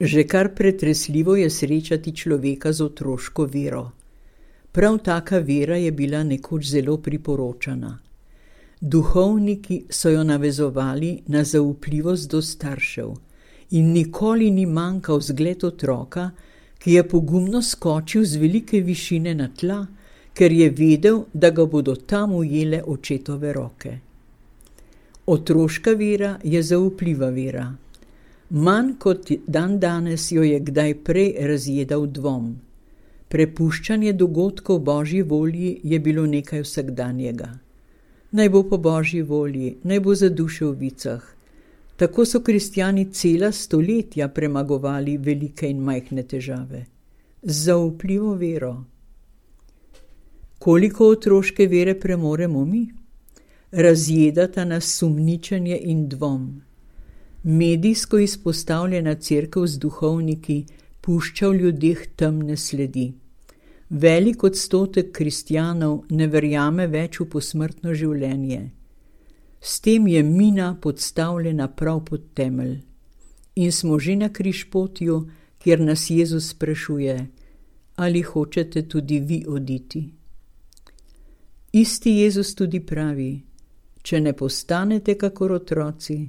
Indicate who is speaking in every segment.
Speaker 1: Že kar pretresljivo je srečati človeka z otroško vero. Prav taka vera je bila nekoč zelo priporočana. Duhovniki so jo navezovali na zaupljivost do staršev in nikoli ni manjkal zgled otroka, ki je pogumno skočil z velike višine na tla, ker je vedel, da ga bodo tam ujele očetove roke. Otroška vera je zaupljiva vera. Manj kot dandanes jo je kdaj prej razjedal dvom. Prepuščanje dogodkov Božji volji je bilo nekaj vsakdanjega. Naj bo po Božji volji, naj bo za duše v vicah. Tako so kristjani cela stoletja premagovali velike in majhne težave. Z zaupljivo vero. Koliko otroške vere premoremo mi? Razjedata nas sumničenje in dvom. Medijsko izpostavljena cerkev z duhovniki pušča v ljudeh temne sledi. Velik odstotek kristjanov ne verjame več v posmrtno življenje. S tem je mina podstavljena prav pod temelj. In smo že na križpotju, kjer nas Jezus sprašuje, ali hočete tudi vi oditi. Isti Jezus tudi pravi, če ne postanete kakor otroci,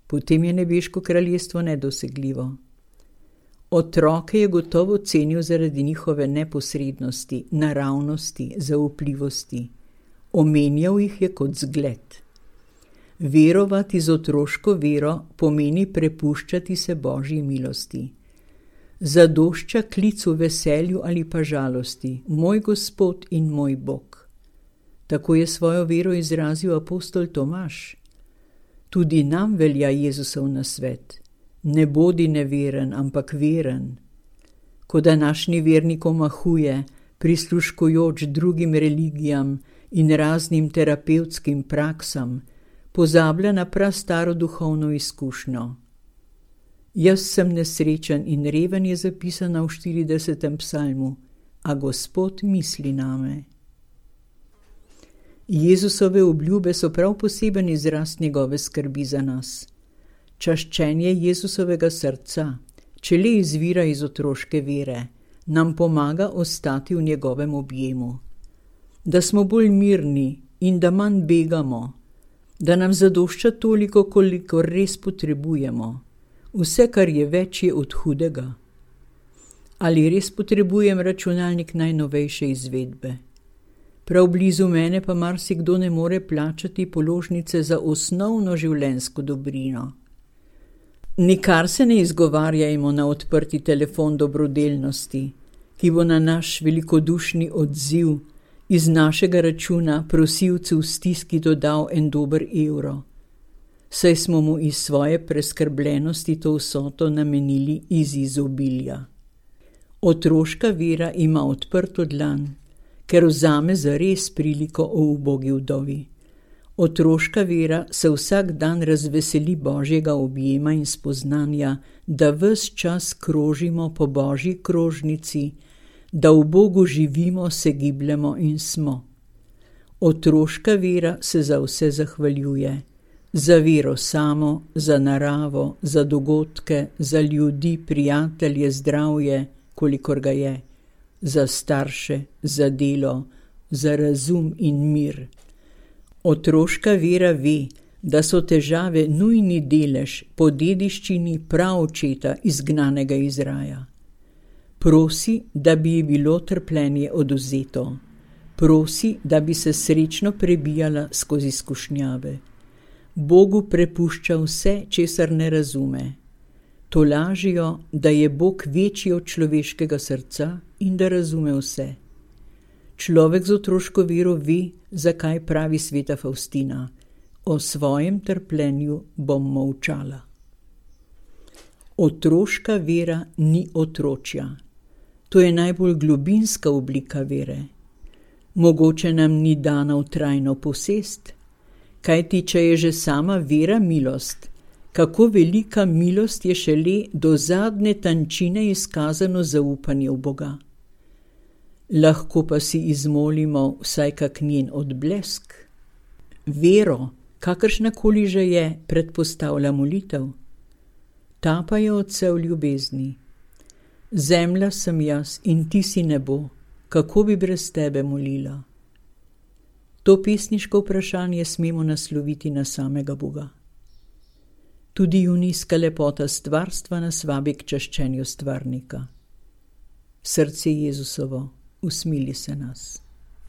Speaker 1: potem je nebeško kraljestvo nedosegljivo. Otroke je gotovo cenil zaradi njihove neposrednosti, naravnosti, zaupljivosti. Omenjal jih je kot zgled. Verovati z otroško vero pomeni prepuščati se Božji milosti. Zadošča klicu veselju ali pa žalosti, moj Gospod in moj Bog. Tako je svojo vero izrazil apostol Tomaž. Tudi nam velja Jezusov nasvet. Ne bodi neveren, ampak veren. Ko današnji vernik omahuje, prisluškujoč drugim religijam in raznim terapevtskim praksam, pozablja na prastaro duhovno izkušnjo. Jaz sem nesrečen in reven je zapisana v 40. psalmu, a Gospod misli name. Jezusove obljube so prav poseben izraz njegove skrbi za nas. Čaščenje Jezusovega srca, če le izvira iz otroške vere, nam pomaga ostati v njegovem objemu. Da smo bolj mirni in da manj begamo, da nam zadošča toliko, koliko res potrebujemo. Vse, kar je več, je od hudega. Ali res potrebujem računalnik najnovejše izvedbe? Prav blizu mene pa marsikdo ne more plačati položnice za osnovno življenjsko dobrino. Nikar se ne izgovarjajmo na odprti telefon dobrodelnosti, ki bo na naš velikodušni odziv iz našega računa prosilcu v stiski dodal en dober evro, saj smo mu iz svoje preskrbljenosti to vsoto namenili iz izobilja. Otroška vera ima odprto dlan, ker vzame zares priliko o ubogi vdovi. Otroška vera se vsak dan razveseli Božjega objema in spoznanja, da ves čas krožimo po Božji krožnici, da v Bogu živimo, se gibljemo in smo. Otroška vera se za vse zahvaljuje. Za vero samo, za naravo, za dogodke, za ljudi, prijatelje, zdravje, kolikor ga je, za starše, za delo, za razum in mir. Otroška vera ve, da so težave nujni delež po dediščini praočeta izgnanega iz raja. Prosi, da bi ji bilo trpljenje odvzeto. Prosi, da bi se srečno prebijala skozi skušnjave. Bogu prepušča vse, česar ne razume. Tolažijo, da je Bog večji od človeškega srca in da razume vse. Človek z otroško vero ve, zakaj pravi sveta Faustina: o svojem trpljenju bom molčala. Otroška vera ni otročja. To je najbolj globinska oblika vere. Mogoče nam ni dana v trajno posest, kajti če je že sama vera milost, kako velika milost je šele do zadnje tančine izkazano zaupanje v Boga. Lahko pa si izmolimo vsaj kak njen odblesk. Vero, kakršnakoli že je, predpostavlja molitev. Ta pa je Otcev ljubezni. Zemlja sem jaz in ti si nebo, kako bi brez tebe molila? To pesniško vprašanje smemo nasloviti na samega Boga. Tudi junijska lepota stvarstva nas vabi k čaščenju stvarnika. Srce Jezusovo, usmili se nas.